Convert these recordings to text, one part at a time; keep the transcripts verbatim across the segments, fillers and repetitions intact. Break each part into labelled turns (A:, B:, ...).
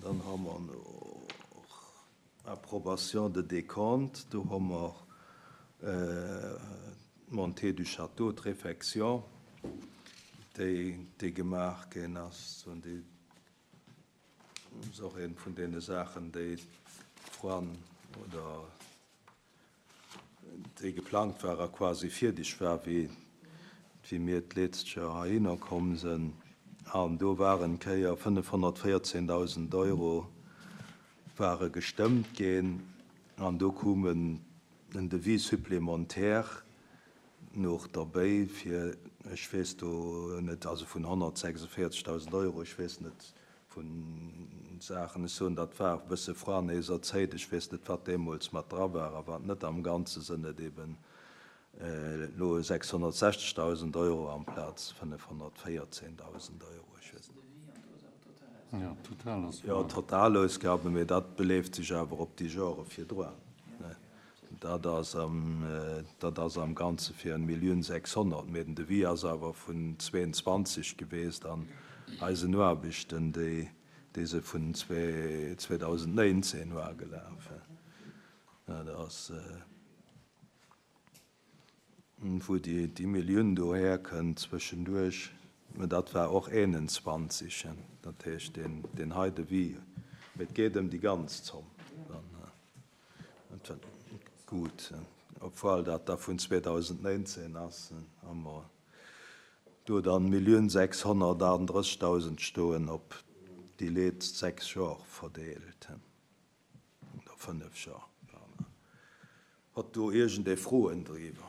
A: Dann hu mer nach Approbation de décompte, do hu mer äh, Montée du Château, d'Réfection, déi, déi gemaach ginn ass, an déi ass och eng vun deene Saachen, déi vrun oder déi geplangt war, quasi fäerdeg war, wéi, wéi mir d'lescht Joer heihinner komm sinn. An do waren Kéier fënnefhonnertvéierzehndausend Euro ware gestëmmt ginn an do koum en Devis supplémentaire nach derbäi fir, ech weess do net, also vun honnertsechsundvéierzegdausend Euro, ech weess net vun Saachen, ech soen, dat war e bësse vrun eiser Zäit, ech weess net, wat deemools mat dra war, awer net am Ganze sinn et eben elo sechshonnertsechzegdausend Euro amplaz fënnefhonnertvéierzehndausend Euro. Ech weess net.
B: Ja, Totalausgaben.
A: Ja, Totalausgaben, mee dat beleeft sech awer op déi Jore virdrun. Dat ass am, dat ass am Ganze fir eng Millioun sechshonnert, mee den Devis ass awer vun zwéianzwanzeg gewiescht an eisen Aarbechten, déi, déi se vun zweedausendnéinzehn war gelaf. Ja, dat ass, wou déi, déi Millioun dohier kënnt zwëschenduerch, mee dat war och einundzwanzeg, dat heescht den, den hei Devis, mee et geet ëm déi ganz Zomm. Dann, äh, gutt, obwuel dat da vun zweedausendnéinzehn ass, hu mer do dann Millioun sechshonnertaachunddrëssigtausend stoen op déi lescht sechs Joer verdeelt. Oder fënnef Joer. Huet do iergendee Froen driwwer?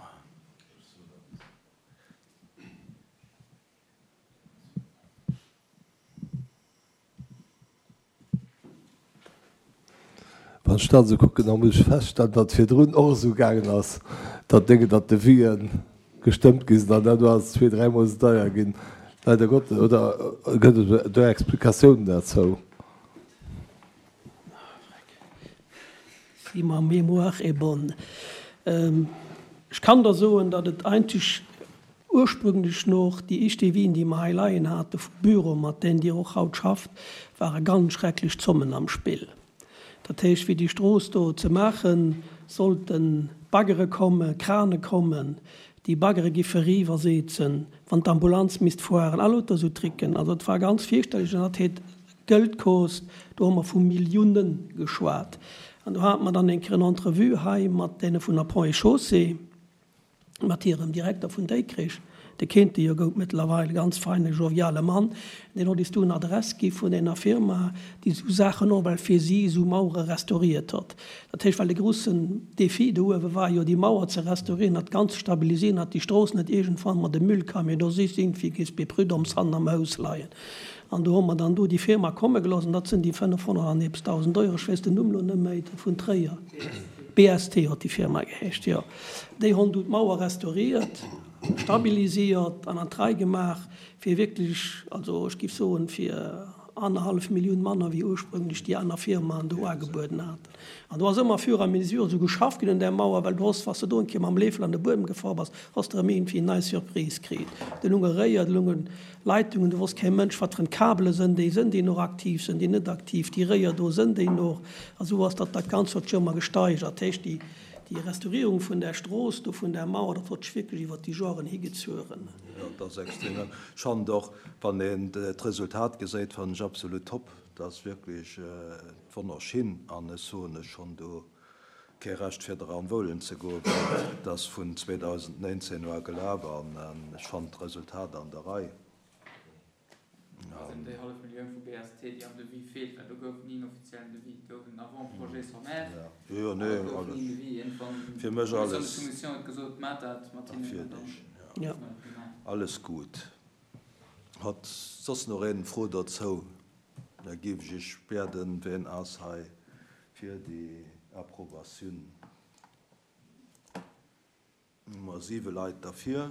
C: Wann ech dat esou kucken, da muss ech feststellen, datt virdrun och esou gaangen ass, datt Dénge, datt Devisen gestëmmt gi sinn an dat ass zwee, dräimol esou deier ginn. Leider Gottes, oder gëtt et do Explikatiounen dozou?
D: Si ma mémoire est bonne. Ech kann der soen, datt et eigentlech ursprünglech nach déi éischt Devisen, déi mer hei leien hate vum Büro, mat deenen Dir och haut schafft, ware ganz schrecklech Zommen am Spill. Dat heescht, fir déi Strooss do ze maachen, sollten Baggere kommen, Krane kommen, déi Baggere giffe riwwersetzen, wann d'Ambulanz misst fueren, all lauter esou Tricken. Also et war ganz fierchterlech an dat huet Geld kost, do hu mer vu Millioune geschwat. An do hate mer dann eng Kéier eng Entrevue hei mat deene vun der Ponts et Chaussées, mat hirem Direkter vun Dikrech, dee kennt Dir jo gutt mëttlerweil, ganz feine, joviale Mann, deen huet is du en Adress gi vun enger Firma, déi esou Saachen och well fir si esou Mauere restauriert huet. Dat heescht, well de groussen Défi do uewe war jo, déi Mauer ze restaurieren, dat Ganzt ze stabilisieren, datt déi Strooss net iergendwann mat dem Müllcamion do si sinn, wéi géif bei Prud'hommes hannen am Haus leien. An do hu mer dann do déi Firma komme gelooss, an dat sinn déi fënnefhonnert an eppes dausend Euro, ech weess den Numm elo net méi, vun Tréier. B S T huet déi Firma geheescht, jo. Déi hunn du d'Mauer restauriert, stabilisiert an an d'Rei gemaach, fir wierklech, also ech géif soen, fir annerhallef Millioun manner wéi ursprünglech déi aner Firmaen do agebueden haten. An do ass ëmmer fur et à mesure esou geschafft ginn un där Mauer, well du hoss, wann s de do eng Kéier mam Läffel an de Buedem gefor bass, hoss de erëm iergendwéi eng nei Surprise kritt. Do lunge Réier, do lunge Leitungen, do wosst kee Mënsch, wat fir en Kabele sënn, déi sënn, déi noch aktiv sënn, déi net aktiv, déi Réier do sënn, déi noch. A sou ass dat dat Ganzt huet sech ëmmer gesteigert. Dat heescht, déi, déi Restaurierung vun der Strooss, do vun der Mauer, dat huet sech wierklech iwwer déi Joren higezueren.
A: Ja, dat ass extrem lang. Schonn och, wann een d'Resultat gesäit, fannen ech absolut top. Dat ass wierklech wonnerschinn an ech soen ech schonn do kee Recht fir dran woulen ze goen, well dat ass vun zweedausendnéinzehn u gelaf an ech fannen d'Resultat an der Rei.
E: Also déi hallef Millioun vu B S T, déi am Devis feelt, well do gouf ni en offiziellen Devis, do gouf en Avant-projet sommaire,
A: Ja. Jo, jo, nee,
E: awer et gouf
A: alles.
E: ni en Devis. Irgendwann
A: Fir mech
E: d'Commission de
A: alles.
E: Soumission huet gesot, maacht dat mat hinnen an dann
A: Natierlech, ja.
D: Ja.
E: huet man dat gemaach.
A: Alles gutt. Hat soss nach een Fro dozou? Da géif ech iech bieden, ween ass hei fir déi Approbatioun? Hu mer siwe Leit derfir.